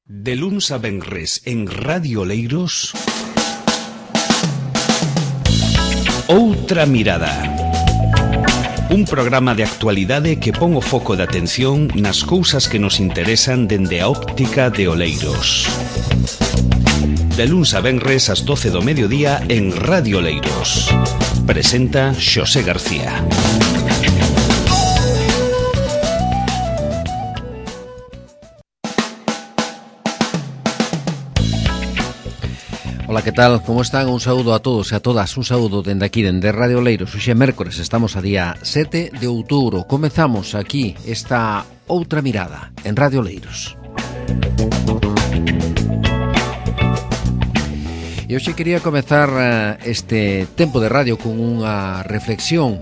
De luns a venres en Radio Oleiros, Outra Mirada. Un programa de actualidade que pon o foco de atención nas cousas que nos interesan dende a óptica de Oleiros. De luns a venres ás 12 do mediodía en Radio Oleiros. Presenta Xosé García. Ola, que tal? Como están? Un saúdo a todos e a todas. Un saúdo dende aquí, dende Radio Oleiros. Hoxe é mércores, estamos a día 7 de outubro. Comezamos aquí esta Outra Mirada en Radio Oleiros. E hoxe quería comezar este tempo de radio con unha reflexión.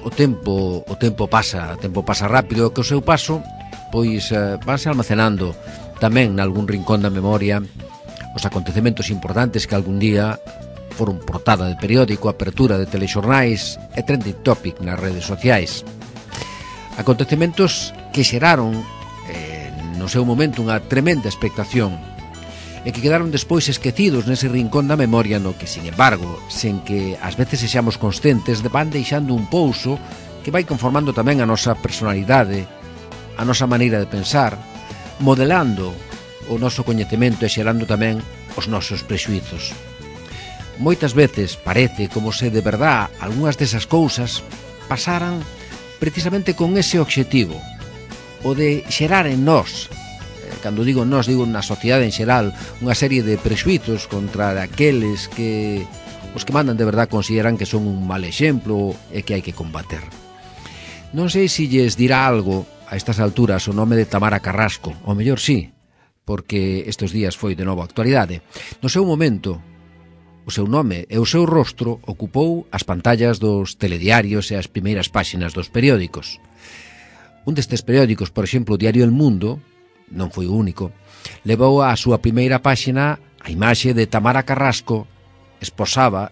O tempo pasa rápido, que o seu paso pois vanse almacenando tamén nalgún rincón da memoria os acontecementos importantes que algún día foron portada de periódico, apertura de telexornais e trending topic nas redes sociais. Acontecementos que xeraron no seu momento unha tremenda expectación e que quedaron despois esquecidos nese rincón da memoria no que, sin embargo, sen que ás veces sexamos conscientes, van deixando un pouso que vai conformando tamén a nosa personalidade, a nosa maneira de pensar, modelando o noso coñecemento e xerando tamén os nosos prexuizos. Moitas veces parece como se de verdad algunhas desas cousas pasaran precisamente con ese obxectivo, o de xerar en nós, cando digo nós, digo na sociedade en xeral, unha serie de prexuizos contra aqueles que os que mandan de verdad consideran que son un mal exemplo e que hai que combater. Non sei se lles dirá algo a estas alturas o nome de Tamara Carrasco, ou mellor sí, porque estes días foi de novo actualidade. No seu momento, o seu nome e o seu rostro ocupou as pantallas dos telediarios e as primeiras páxinas dos periódicos. Un destes periódicos, por exemplo, o diario El Mundo, non foi o único, levou á súa primeira páxina a imaxe de Tamara Carrasco esposada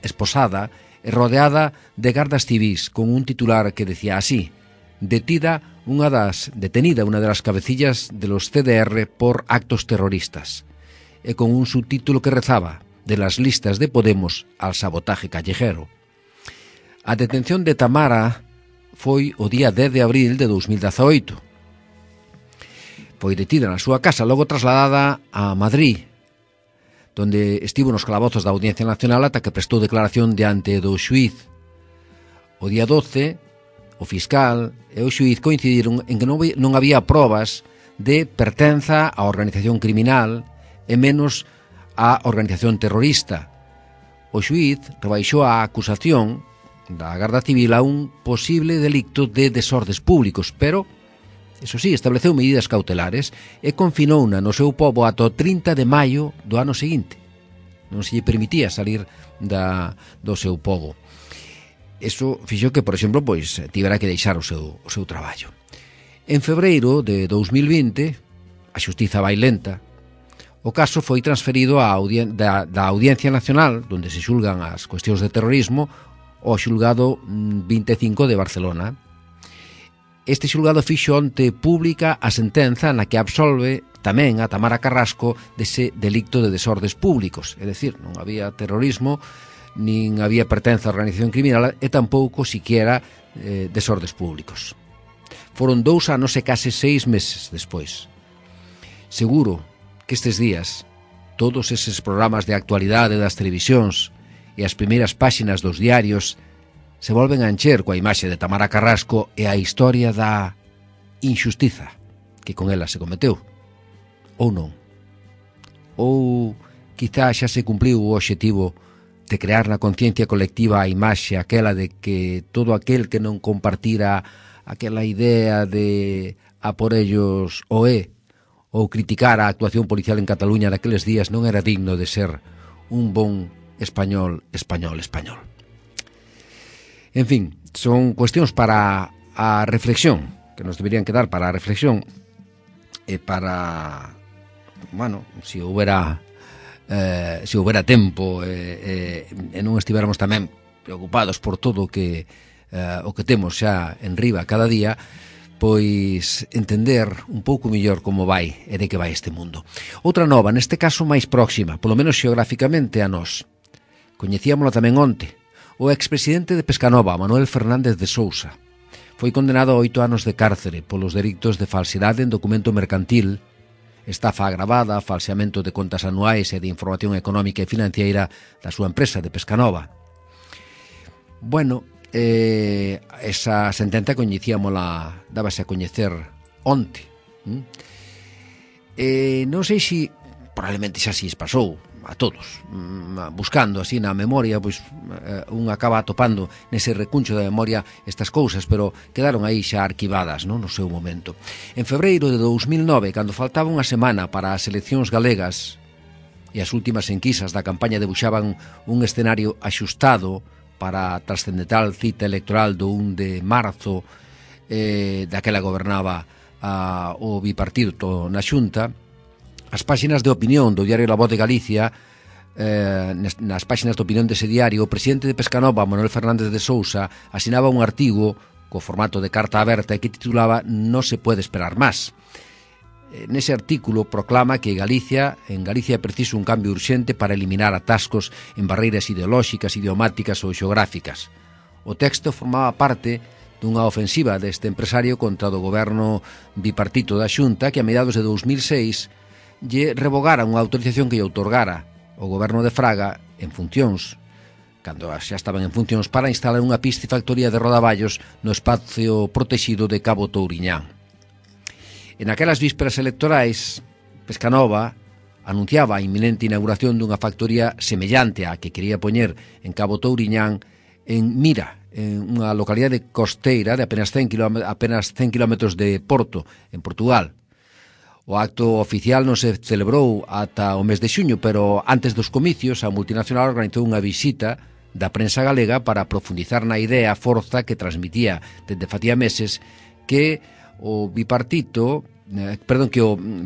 e rodeada de gardas civís, con un titular que decía así: detenida unha das cabecillas de los CDR por actos terroristas, e con un subtítulo que rezaba: de las listas de Podemos al sabotaje callejero. A detención de Tamara foi o día 10 de abril de 2018. Foi detida na súa casa, logo trasladada a Madrid, donde estivo nos calabozos da Audiencia Nacional ata que prestou declaración diante do xuíz. O día 12, o fiscal e o xuíz coincidiron en que non había probas de pertenza á organización criminal e menos á organización terrorista. O xuíz rebaixou a acusación da Garda Civil a un posible delicto de desordes públicos, pero, eso sí, estableceu medidas cautelares e confinouna no seu pobo ata o 30 de maio do ano seguinte. Non se lle permitía salir do seu pobo. Eso fixo que, por exemplo, pois tivera que deixar o seu traballo. En febreiro de 2020, a xustiza vai lenta, o caso foi transferido da Audiencia Nacional, onde se xulgan as cuestións de terrorismo, ao xulgado 25 de Barcelona. Este xulgado fixo onte pública a sentenza na que absolve tamén a Tamara Carrasco dese delicto de desordes públicos, é dicir, non había terrorismo, nin había pertenza á organización criminal e tampouco siquiera desordes públicos. Foron 2 anos e case 6 meses despois. Seguro que estes días todos eses programas de actualidade das televisións e as primeiras páxinas dos diarios se volven a encher coa imaxe de Tamara Carrasco e a historia da injustiza que con ela se cometeu. Ou non. Ou quizá xa se cumpliu o obxectivo de crear na conciencia colectiva a imaxe aquela de que todo aquel que non compartira aquela idea de a por ellos o é, ou criticar a actuación policial en Cataluña naqueles días non era digno de ser un bon español. En fin, son cuestións para a reflexión, que nos deberían quedar para a reflexión e para, bueno, se houbera tempo e non estiveramos tamén preocupados por todo o que temos xa en riba cada día, pois entender un pouco mellor como vai e de que vai este mundo. Outra nova, neste caso máis próxima, polo menos xeográficamente a nós. Coñecíamolo tamén onte. O expresidente de Pescanova, Manuel Fernández de Sousa, foi condenado a 8 anos de cárcere polos delitos de falsidade en documento mercantil, estafa agravada, falseamento de contas anuais e de información económica e financiera da súa empresa de Pescanova. Bueno, esa sentenza coñecíamola, dábase a coñecer onte. Non sei se probablemente xa se pasou a todos, buscando así na memoria, pois un acaba atopando nese recuncho da memoria estas cousas, pero quedaron aí xa arquivadas, non, no seu momento. En febreiro de 2009, cando faltaba unha semana para as eleccións galegas e as últimas enquisas da campaña debuxaban un escenario axustado para a trascendental cita electoral do 1 de marzo, daquela gobernaba o bipartito na Xunta, as páxinas de opinión do diario La Voz de Galicia, nas páxinas de opinión dese diario, o presidente de Pescanova, Manuel Fernández de Sousa, asinaba un artigo co formato de carta aberta e que titulaba "No se puede esperar más". Nese artículo proclama que en Galicia é preciso un cambio urxente para eliminar atascos en barreiras ideolóxicas, idiomáticas ou xeográficas. O texto formaba parte dunha ofensiva deste empresario contra o goberno bipartito da Xunta, que a mediados de 2006 lle revogara unha autorización que lle outorgara o goberno de Fraga en funcións, cando xa estaban en funcións, para instalar unha piscifactoría de rodaballos no espacio protexido de Cabo Touriñán. En aquelas vísperas electorais, Pescanova anunciaba a inminente inauguración dunha factoría semellante á que quería poñer en Cabo Touriñán en Mira, en unha localidade costeira de apenas 100 kilómetros de Porto, en Portugal. O acto oficial non se celebrou ata o mes de xuño, pero antes dos comicios a multinacional organizou unha visita da prensa galega para profundizar na idea forza que transmitía desde facía meses que o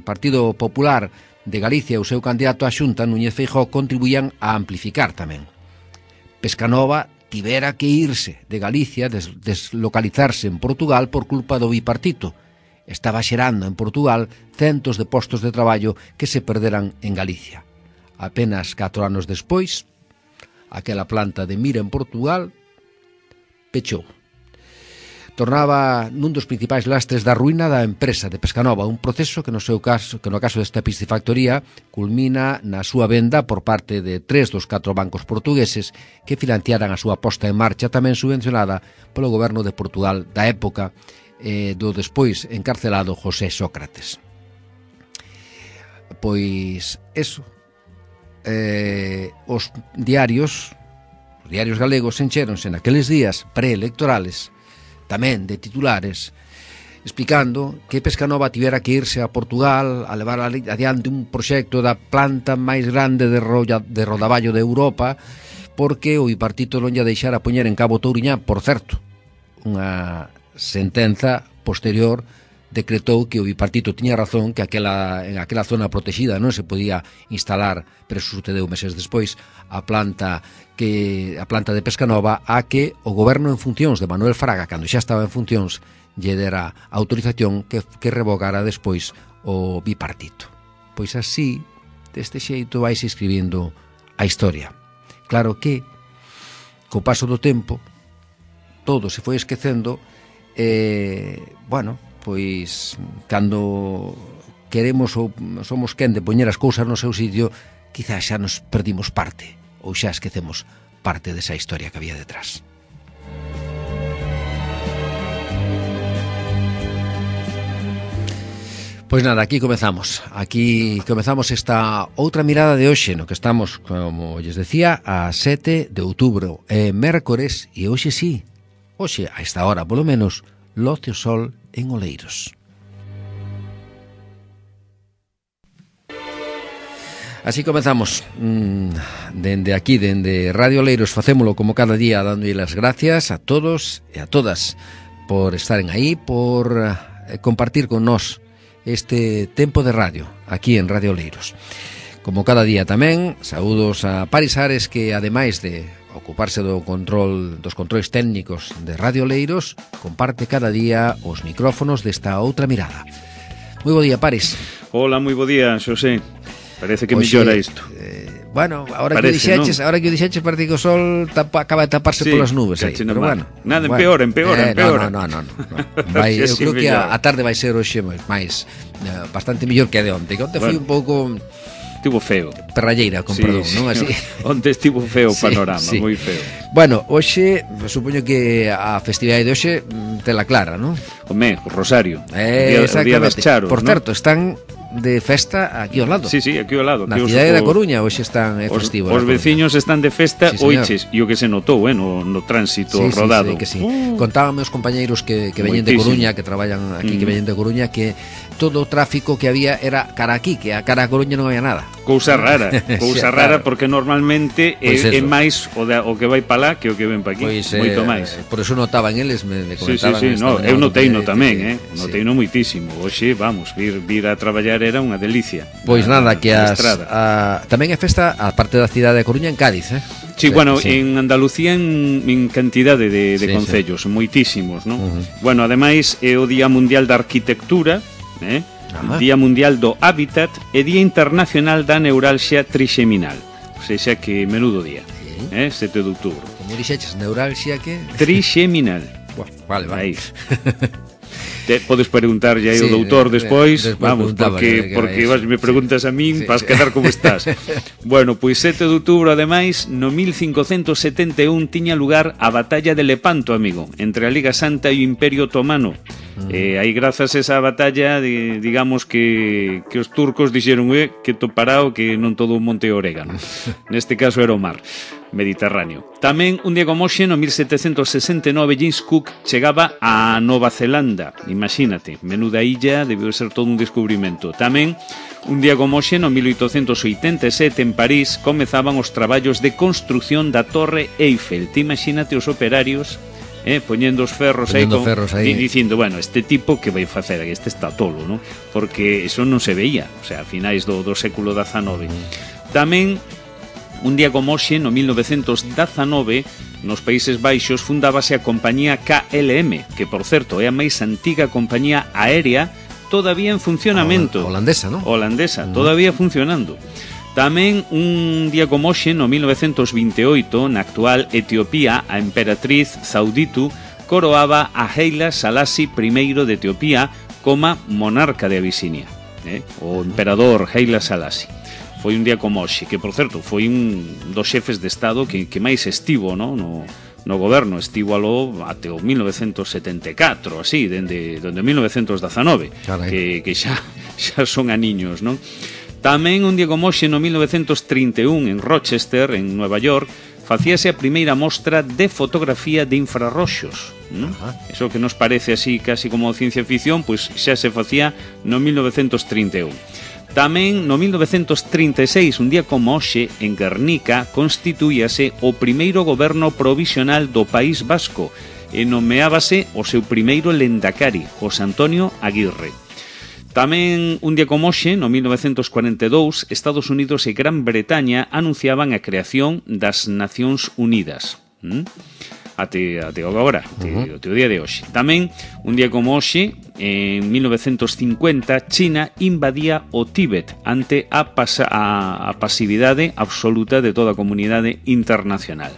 Partido Popular de Galicia e o seu candidato á Xunta, Núñez Feijóo, contribuían a amplificar tamén. Pescanova tivera que irse de Galicia, deslocalizarse en Portugal por culpa do bipartito. Estaba xerando en Portugal centos de postos de traballo que se perderan en Galicia. Apenas 4 anos despois, aquela planta de Mira en Portugal pechou. Tornaba nun dos principais lastres da ruína da empresa de Pescanova, un proceso que no caso desta piscifactoría culmina na súa venda por parte de 3 dos 4 bancos portugueses que financiaran a súa posta en marcha, tamén subvencionada polo goberno de Portugal da época, do despois encarcelado José Sócrates. Pois eso, os diarios galegos encheronse naqueles días preelectorales tamén de titulares explicando que Pescanova tivera que irse a Portugal a levar adiante un proxecto da planta máis grande de rodaballo de Europa, porque o bipartito non lle deixara poñer en Cabo Touriñán. Por certo, unha sentenza posterior decretou que o bipartito tiña razón, que en aquela zona protegida non se podía instalar, pero sucedeu meses despois, a planta de Pescanova, a que o goberno en funcións de Manuel Fraga, cando xa estaba en funcións, lle dera autorización que revogara despois o bipartito. Pois así, deste xeito, vais escribindo a historia. Claro que, co paso do tempo, todo se foi esquecendo. Pois cando queremos ou somos quen de poñer as cousas no seu sitio, quizás xa nos perdimos parte ou xa esquecemos parte desa historia que había detrás. Pois nada, aquí comezamos esta outra mirada de hoxe, no que estamos, como lles decía, a 7 de outubro, mércores, e hoxe sí, hoxe a esta hora polo menos loce o sol en Oleiros. Así comezamos. Dende aquí, dende Radio Oleiros, facémolo como cada día, dándolle as gracias a todos e a todas por estaren aí, por compartir con nós este tempo de radio aquí en Radio Oleiros. Como cada día tamén, saúdos a Paris Ares, que ademais de ocuparse dos controis técnicos de Radio Oleiros, comparte cada día os micrófonos desta outra mirada. Moi bo día, Pares. Hola, moi bo día, Xosé. Parece que mellora isto. Bueno, ahora que o dixeches parece que o sol acaba de taparse polas nubes aí, pero bueno. Nada, empeora. No. Eu creo que a tarde vai ser hoxe máis bastante mellor que a de onte. Que onte foi un pouco estivo feo. Perralleira, con perdón, non así. Onte estivo feo o panorama, moi feo. Bueno, hoxe, supoño que a festividade de hoxe tela clara, non? Home, o Rosario. O día das Charos. Por certo, están de festa aquí ao lado. Sí, aquí ao lado. Na cidade da Coruña hoxe están festivo. Os veciños están de festa, oiches, e o que se notou, no tránsito rodado. Sí. Contábame os compañeiros que veñen de Coruña, que traballan aquí, que veñen de Coruña, que todo o tráfico que había era cara aquí, que a cara a Coruña non había nada. Cousa rara, porque normalmente é máis o que vai para lá que o que ven para aquí, moito máis. Por eso notaban eles, me comentaban. Eu noteino tamén, noteino moitísimo. Hoxe, vamos, vir a traballar era unha delicia. Pois nada, que tamén é festa a parte da cidade de Coruña en Cádiz, Sí, bueno, en Andalucía en cantidade de concellos, moitísimos, non? Bueno, ademais é o Día Mundial da Arquitectura, Día Mundial do Hábitat e Día Internacional da Neuralxia Trixeminal. O sea que menudo día, 7 de outubro. Como dixeches, neuralxia que? Trixeminal. Vale. Aí. Podes preguntarlle aí ao doutor despois, vamos, porque me preguntas a min, vas quedar como estás. Bueno, pois 7 de outubro, ademais, no 1571 tiña lugar a batalla de Lepanto, amigo, entre a Liga Santa e o Imperio Otomano. Aí grazas a esa batalla, digamos que os turcos dixeron que toparao, que non todo o monte orégano. Neste caso era o mar Mediterráneo. Tamén un día como hoxe, no 1769, James Cook chegaba a Nova Zelanda. Imagínate, menuda illa, debeu ser todo un descubrimento. Tamén un día como hoxe, no 1887, en París, comezaban os traballos de construción da Torre Eiffel. Te imagínate os operarios poñendo os ferros aí dicindo, bueno, este tipo que vai facer, este está tolo, non? Porque eso non se veía, o sea, a finais do século XIX. Tamén un día como hoxe, no 1919, nos Países Baixos fundábase a compañía KLM, que, por certo, é a máis antiga compañía aérea todavía en funcionamento. Holandesa, non? Holandesa, todavía funcionando. Tamén un día como hoxe, no 1928, na actual Etiopía, a emperatriz Zauditu coroaba a Haile Selassie I de Etiopía como monarca de Abisinia, o emperador Haile Selassie. Foi un día como hoxe, que, por certo, foi un dos xefes de Estado que máis estivo no goberno, estivo aló até o 1974, así, dende 1919, que xa son aniños, non? Tamén un día como hoxe, no 1931, en Rochester, en Nueva York, facíase a primeira mostra de fotografía de infrarroxos. Eso que nos parece así casi como ciencia ficción, pois xa se facía no 1931. Tamén no 1936, un día como hoxe, en Guernica, constituíase o primeiro goberno provisional do País Vasco e nomeábase o seu primeiro lendakari, José Antonio Aguirre. Tamén un día como hoxe, no 1942, Estados Unidos e Gran Bretaña anunciaban a creación das Nacións Unidas. Até agora, até o día de hoxe. Tamén, un día como hoxe, en 1950, China invadía o Tíbet ante a pasividade absoluta de toda a comunidade internacional.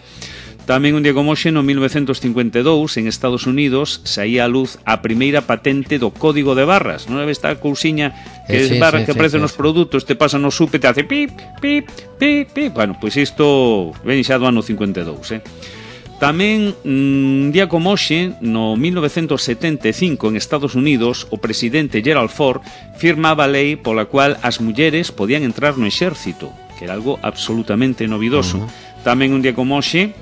Tamén un día como hoxe, no 1952, en Estados Unidos, saía a luz a primeira patente do código de barras. Non é esta cousiña que barras que aparecen nos produtos, te pasa no súper, te hace pip, pip, pip, pip. Bueno, pois isto ven xa do ano 52, Tamén, un día como hoxe, no 1975, en Estados Unidos, o presidente Gerald Ford firmaba a lei pola cual as mulleres podían entrar no exército, que era algo absolutamente novidoso. Tamén un día como hoxe,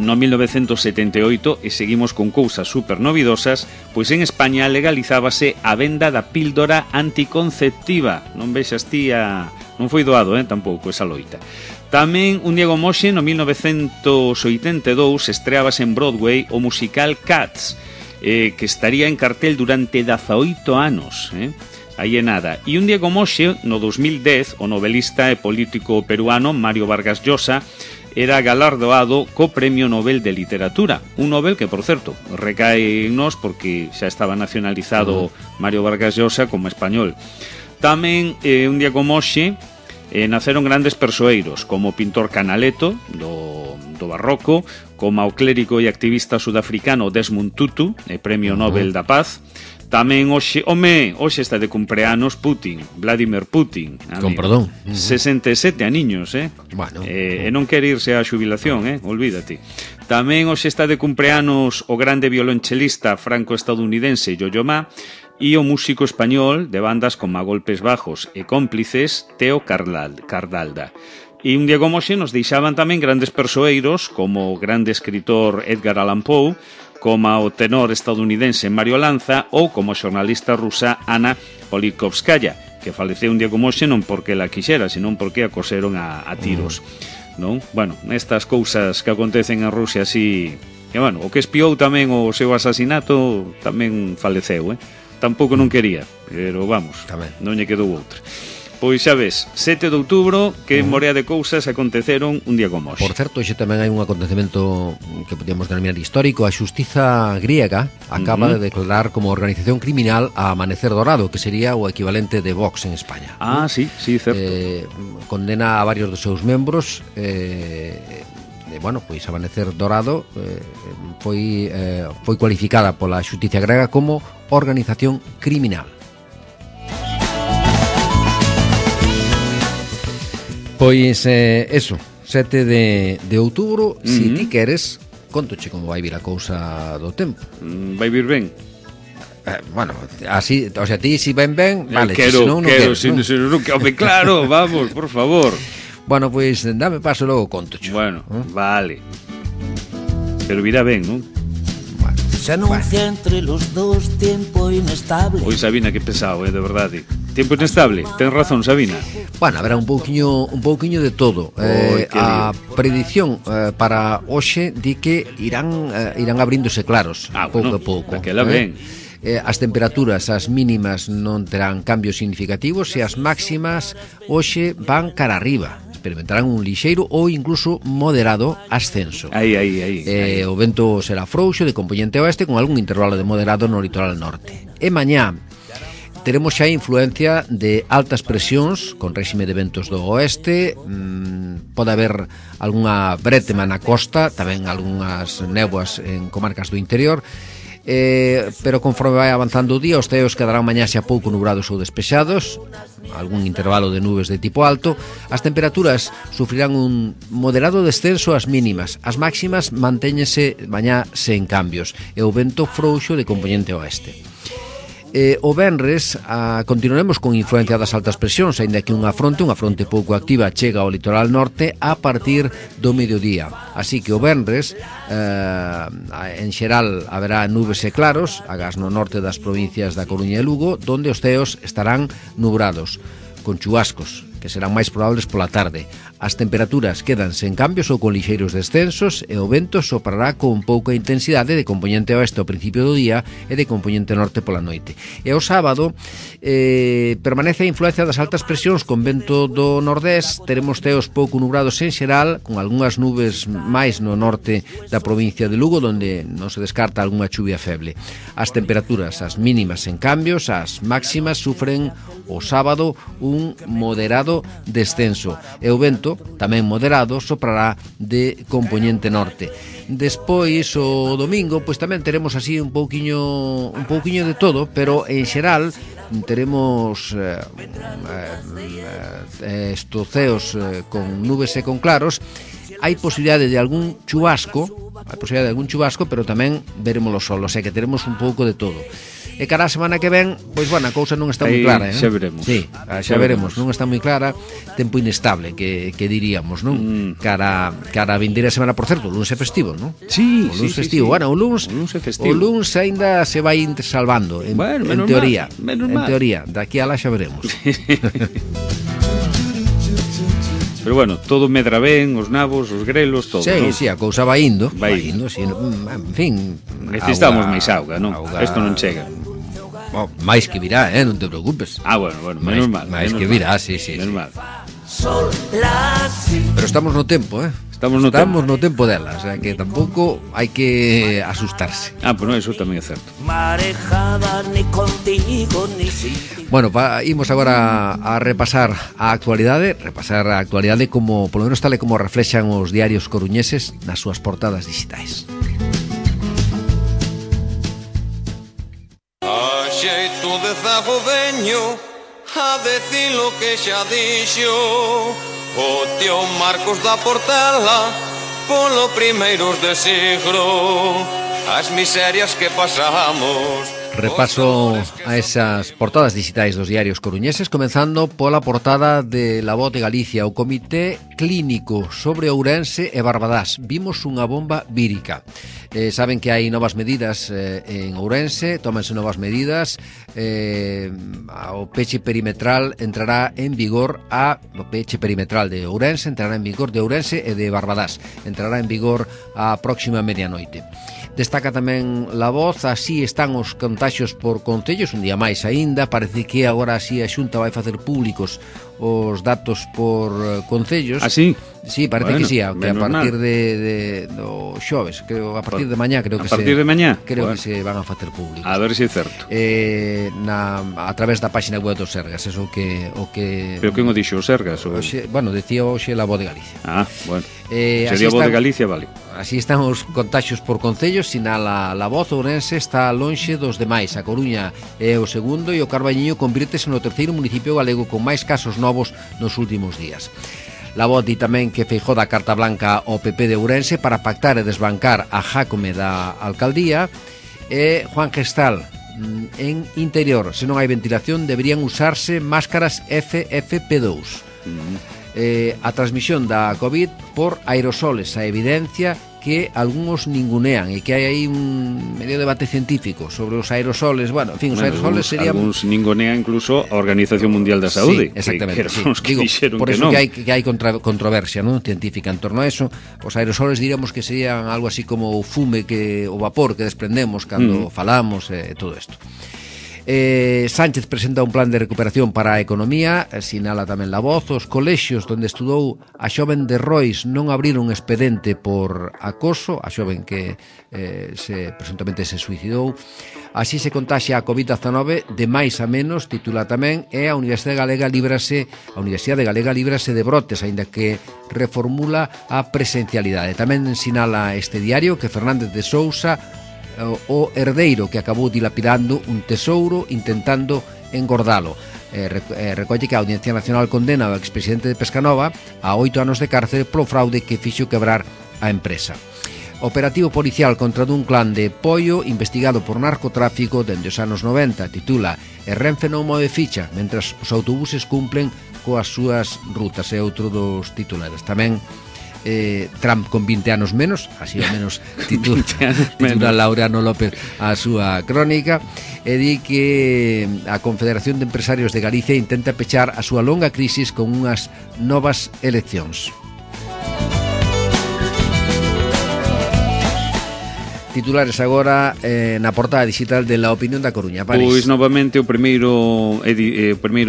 no 1978, e seguimos con cousas super novidosas, pois en España legalizábase a venda da píldora anticonceptiva. Non vexas ti non foi doado, tampouco, esa loita. Tamén un día como hoxe, no 1982, estreábase en Broadway o musical Cats, que estaría en cartel durante 18 anos, Aí é nada. E un día como hoxe, no 2010, o novelista e político peruano Mario Vargas Llosa era galardoado co Premio Nobel de Literatura, un Nobel que, por certo, recae en nós porque xa estaba nacionalizado Mario Vargas Llosa como español. Tamén, un día como hoxe, naceron grandes persoeiros, como o pintor Canaletto, do barroco, como o clérigo e activista sudafricano Desmond Tutu, Premio Nobel da Paz. Tamén hoxe está de cumpleanos Putin, Vladimir Putin. Con perdón. 67 aniños, Bueno. E non quere irse á xubilación, olvídate. Tamén hoxe está de cumpleanos o grande violonchelista franco-estadounidense Yo-Yo Ma e o músico español de bandas como A Golpes Bajos e Cómplices, Teo Cardalda. E un día como hoxe nos deixaban tamén grandes persoeiros como o grande escritor Edgar Allan Poe, como o tenor estadounidense Mario Lanza ou como a xornalista rusa Anna Politkovskaya, que faleceu un día como hoxe non porque la quixera, senón porque a coseron a tiros. Non? Bueno, estas cousas que acontecen en Rusia así... E, bueno, o que espiou tamén o seu asasinato tamén faleceu, Tampouco non quería, pero vamos, tamén non lle quedou outra. Pois xa ves, 7 de outubro, que morea de cousas aconteceron un día como hoxe. Por certo, hoxe tamén hai un acontecemento que podíamos denominar histórico. A xustiza griega acaba de declarar como organización criminal a Amanecer Dorado, que sería o equivalente de Vox en España. Ah, sí, certo. Condena a varios dos seus membros. Bueno, pois Amanecer Dorado foi cualificada pola xustiza grega como organización criminal. Pois, eso, 7 de outubro, se ti queres, contoche como vai vir a cousa do tempo. Vai vir ben? Bueno, así, o sea, ti si ben, vale, quero, se non quero, home, claro, vamos, por favor. Bueno, pois, dame paso logo, contoche. Bueno, vale. Pero virá ben, non? Se anuncia entre los dos tiempo inestable. Oi, Sabina, que pesado, de verdade. Tempo inestable, ten razón, Sabina. Bueno, habrá un pouquiño de todo. A predición para hoxe di que irán abríndose claros pouco a pouco. Daquela ben. As temperaturas, as mínimas non terán cambios significativos e as máximas hoxe van cara arriba. Experimentarán un lixeiro ou incluso moderado ascenso. Aí. O vento será frouxo de compoñente oeste con algún intervalo de moderado no litoral norte. E mañá teremos xa influencia de altas presións con réxime de ventos do oeste. Pode haber algunha brétema na costa, tamén algunhas néboas en comarcas do interior. Pero conforme vai avanzando o día, os ceos quedarán mañá xa pouco nubrados ou despexados, algún intervalo de nubes de tipo alto. As temperaturas sufrirán un moderado descenso ás mínimas, as máximas mantéñense mañá sen cambios e o vento frouxo de compoñente oeste. O venres continuaremos con influencia das altas presións, aínda que unha fronte pouco activa chega ao litoral norte a partir do mediodía. Así que o venres en xeral haberá nubes e claros, agás no norte das provincias da Coruña e Lugo, donde os ceos estarán nubrados, con chubascos, que serán máis probables pola tarde. As temperaturas quedan sen cambios ou con lixeiros descensos e o vento soprará con pouca intensidade de compoñente oeste ao principio do día e de compoñente norte pola noite. E o sábado permanece a influencia das altas presións con vento do nordés. Teremos ceos pouco nubrados en xeral, con algunhas nubes máis no norte da provincia de Lugo, donde non se descarta algunha chuvia feble. As temperaturas, as mínimas en cambios, as máximas sufren o sábado un moderado descenso e o vento, tamén moderado, soprará de compoñente norte. Despois, o domingo, pois tamén teremos así un pouquiño de todo, pero en xeral teremos estos ceos con nubes e con claros. Hai posibilidade de algún chubasco, pero tamén veremos o sol, o sea que teremos un pouco de todo. E cara a semana que ven, pois bueno, a cousa non está moi clara, xa veremos. Sí, xa veremos, non está moi clara, tempo inestable, que diríamos, non? Cara a vindeira semana, por certo, o lunes é festivo, non? Sí, o lunes festivo. Bueno, o lunes aínda se vai salvando, en teoría. En teoría, daqui a lá xa veremos. Pero bueno, todo medra ben, os nabos, os grelos, todo, sí, non? Sí, a cousa vai indo, sí, en fin. Necesitamos máis auga, non? Isto non chega. Máis que virá, non te preocupes. Bueno, menos mal. Máis que virá, sí. Menos mal. Pero estamos no tempo, Estamos no tempo dela, o sea que tampouco hai que asustarse. Bueno, eso tamén é certo. Marejada ni contigo ni sin ti. Bueno, imos agora a repasar a actualidade como, polo menos tal e como reflexan os diarios coruñeses nas súas portadas digitais. A xeito de zago veño a decir lo que xa dixo o tío Marcos da Portela polo primeiros de siglo, as miserias que pasamos. Repaso a esas portadas digitais dos diarios coruñeses, comenzando pola portada de La Voz de Galicia, o Comité Clínico sobre Ourense e Barbadás. Vimos unha bomba vírica. Saben que hai novas medidas en Ourense, tómanse novas medidas, o peche perimetral entrará en vigor o peche perimetral de Ourense entrará en vigor de Ourense e de Barbadás, entrará en vigor a próxima medianoite. Destaca tamén La Voz, así están os contaxios por concellos, un día máis aínda, parece que agora así a Xunta vai facer públicos os datos por concellos. Así? Sí, parece que sí, que a partir do xoves, creo, a partir de mañá, creo que que se van a facer públicos. A ver se é certo. A través da páxina web dos Sergas, eso que Pero quen o dixo, os Sergas? Bueno, decía hoxe La Voz de Galicia. Bueno. Sería a Voz de Galicia, vale. Así están os contaxios por concellos, sinala La Voz. Ourense está lonxe dos demais. A Coruña é o segundo e o Carballiño convírtese no terceiro municipio galego con máis casos novos nos últimos días. La Voz di tamén que Feijóo dá carta blanca ao PP de Ourense para pactar e desbancar a Jácome da alcaldía, e Juan Gestal en Interior, se non hai ventilación deberían usarse máscaras FFP2. A transmisión da COVID por aerosoles, a evidencia que algúns ningunean e que hai aí un medio debate científico sobre os aerosoles. Bueno, en fin, os aerosoles serían... Algúns ningunean incluso a Organización Mundial da Saúde. Sí, exactamente, que digo, por eso que hai controversia, non, científica en torno a eso. Os aerosoles diríamos que serían algo así como o fume, o vapor que desprendemos cando falamos e todo isto. Sánchez presenta un plan de recuperación para a economía, sinala tamén La Voz. Os colexios onde estudou a xoven de Rois non abriron un expedente por acoso, a xoven que presuntamente se suicidou. Así se contaxia a COVID-19 de máis a menos, titula tamén, e a Universidade Galega líbrase de brotes, aínda que reformula a presencialidade. Tamén sinala este diario que Fernández de Sousa, o herdeiro que acabou dilapidando un tesouro intentando engordalo. Recolle que a Audiencia Nacional condena ao expresidente de Pescanova a 8 anos de cárcere polo fraude que fixo quebrar a empresa. Operativo policial contra dun clan de Poio investigado por narcotráfico dende os anos 90, titula E Renfe non move ficha mentras os autobuses cumplen coas súas rutas, é outro dos titulares. Tamén Trump con 20 anos menos, así ao menos titula Laureano López a súa crónica, e di que a Confederación de Empresarios de Galicia intenta pechar a súa longa crisis con unhas novas eleccións. Titulares agora na portada digital de La Opinión da Coruña. París. Pois novamente o primeiro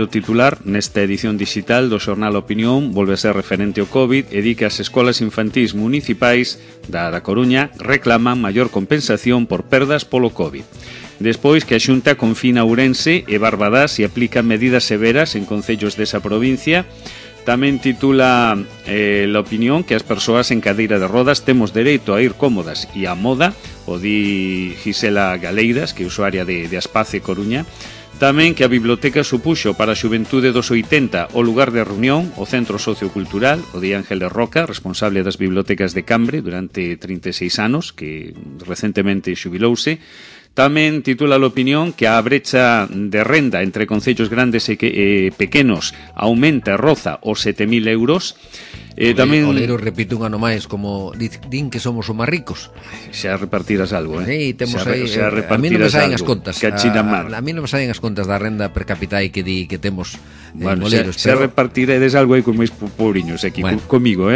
titular nesta edición digital do xornal Opinión volve a ser referente ao COVID e di que as escolas infantís municipais da Coruña reclaman maior compensación por perdas polo COVID. Despois que a Xunta confina Ourense e Barbadás e aplica medidas severas en concellos desa provincia. Tamén titula La Opinión que as persoas en cadeira de rodas temos dereito a ir cómodas e a moda, o di Gisela Galeiras, que é usuaria de Aspace Coruña. Tamén que a biblioteca supuxo para a xuventude dos 80 o lugar de reunión, o centro sociocultural, o di Ángeles Roca, responsable das bibliotecas de Cambre durante 36 anos, que recentemente xubilouse. Tamén titula La Opinión que a brecha de renda entre concellos grandes e pequenos aumenta e roza os 7.000 euros. Tamén Oleiro repite un ano máis como din que somos os máis ricos. Xa repartirás algo, Sí, temos aí, a mí non me saen as contas. A mí non me saen as contas da renda per capita que di que temos bueno, Oleiros, xa repartiredes algo aí con máis pobriños aquí, comigo,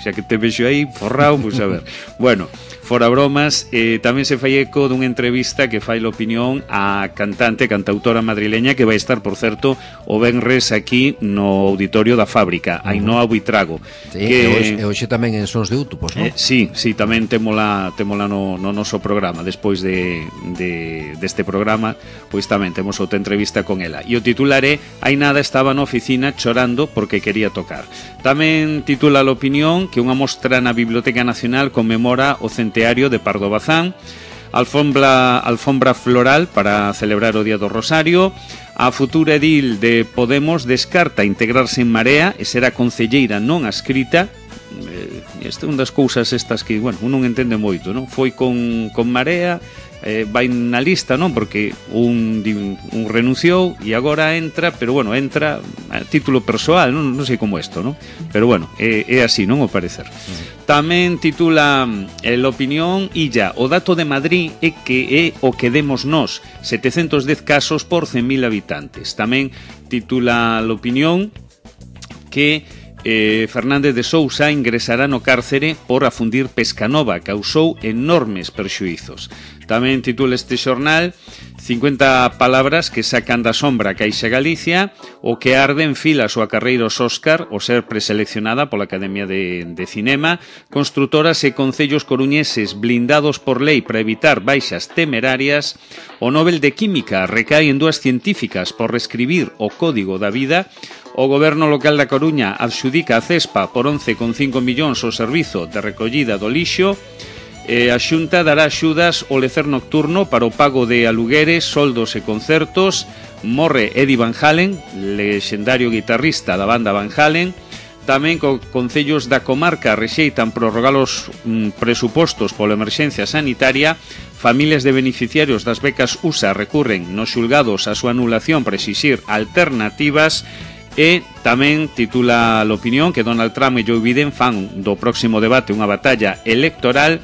xa que te vexo aí forrado, pois a ver. Bueno, fora bromas, tamén se fai eco dunha entrevista que fai a opinión a cantautora madrileña que vai estar, por certo, o venres aquí no auditorio da Fábrica, Ainhoa Buitrago. Sí, e hoxe tamén en Sons de Útopos, non? Sí, tamén témola no noso programa. Despois deste programa, pois tamén temos outra entrevista con ela. E o titular é "Hai nada estaba na oficina chorando porque quería tocar". Tamén titula a opinión que unha mostra na Biblioteca Nacional conmemora o centenario de Pardo Bazán, alfombra floral para celebrar o Día do Rosario. A futura edil de Podemos descarta integrarse en Marea e será concelleira non adscrita. Esta é unha das cousas estas que, bueno, un non entende moito, non? Foi con Marea, vai na lista, non? Porque un renunciou e agora entra, pero bueno, entra a título persoal, non sei como isto, non? Pero bueno, é así, non, o parecer. Tamén titula l'opinión Illa, o dato de Madrid é que é o que demos nós, 710 casos por 100.000 habitantes. Tamén titula l'opinión que Fernández de Sousa ingresará no cárcere por afundir Pescanova, causou enormes perxuizos. Tamén titula este xornal 50 palabras que sacan da sombra a Caixa Galicia, o que arde en fila a súa carreira aos Óscar o ser preseleccionada pola Academia de Cinema, construtoras e concellos coruñeses blindados por lei para evitar baixas temerarias, o Nobel de Química recae en dúas científicas por reescribir o Código da Vida. O Goberno local da Coruña adxudica a Cespa por 11,5 millóns o servizo de recollida do lixo. A Xunta dará axudas ao lecer nocturno para o pago de alugueres, soldos e concertos. Morre Eddie Van Halen, lexendario guitarrista da banda Van Halen. Tamén concellos da comarca rexeitan prorrogar os presupostos pola emerxencia sanitaria. Familias de beneficiarios das becas USA recurren nos xulgados a súa anulación para exixir alternativas. E tamén titula l'opinión que Donald Trump e Joe Biden fan do próximo debate unha batalla electoral.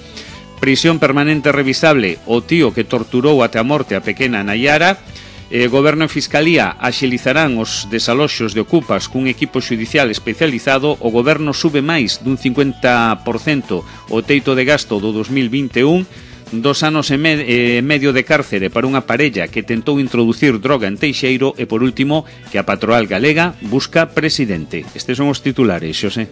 Prisión permanente revisable, o tío que torturou até a morte a pequena Nayara. Goberno e Fiscalía axilizarán os desaloxos de ocupas cun equipo xudicial especializado. O Goberno sube máis dun 50% o teito de gasto do 2021. 2 anos e medio de cárcere para unha parella que tentou introducir droga en Teixeiro. E por último, que a patronal galega busca presidente. Estes son os titulares, Xosé.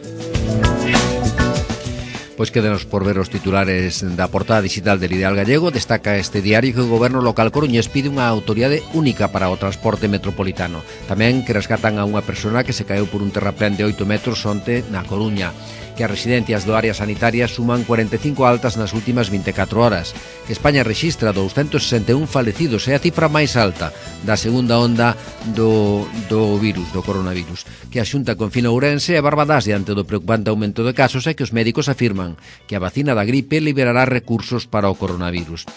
Pois quédenos por ver os titulares da portada digital del Ideal Gallego. Destaca este diario que o Goberno local coruñés pide unha autoridade única para o transporte metropolitano. Tamén que rescatan a unha persona que se caeu por un terraplén de 8 metros onte na Coruña. Que as residencias do área sanitaria suman 45 altas nas últimas 24 horas. Que España rexistra 261 falecidos, é a cifra máis alta da segunda onda do coronavirus. Que a Xunta confina Ourense e Barbadás diante do preocupante aumento de casos e que os médicos afirman que a vacina da gripe liberará recursos para o coronavirus.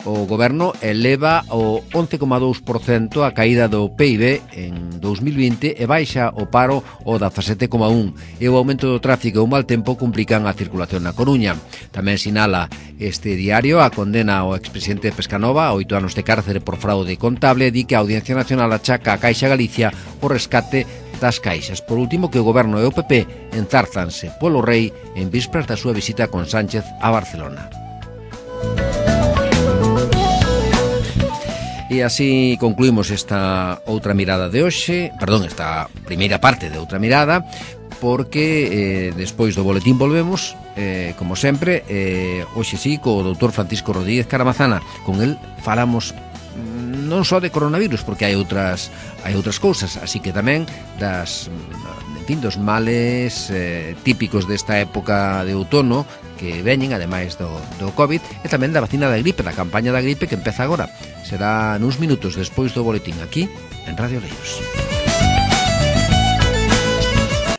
O Goberno eleva o 11,2% a caída do PIB en 2020 e baixa o paro o 17,1%. E o aumento do tráfico e o mal tempo complican a circulación na Coruña. Tamén sinala este diario a condena ao expresidente Pescanova a 8 anos de cárcere por fraude contable e di que a Audiencia Nacional achaca a Caixa Galicia o rescate das caixas. Por último, que o Goberno e o PP enzárzanse polo rei en vísperas da súa visita con Sánchez a Barcelona. E así concluímos esta outra mirada de hoxe, esta primeira parte de outra mirada, porque despois do boletín volvemos, como sempre, hoxe sí, co doutor Francisco Rodríguez Caramazana. Con el falamos non só de coronavirus, porque hai outras cousas, así que tamén dos males típicos desta época de outono que veñen, ademais do COVID, e tamén da vacina da gripe, da campaña da gripe que empeza agora. Será nuns minutos despois do boletín aquí en Radio Leiros.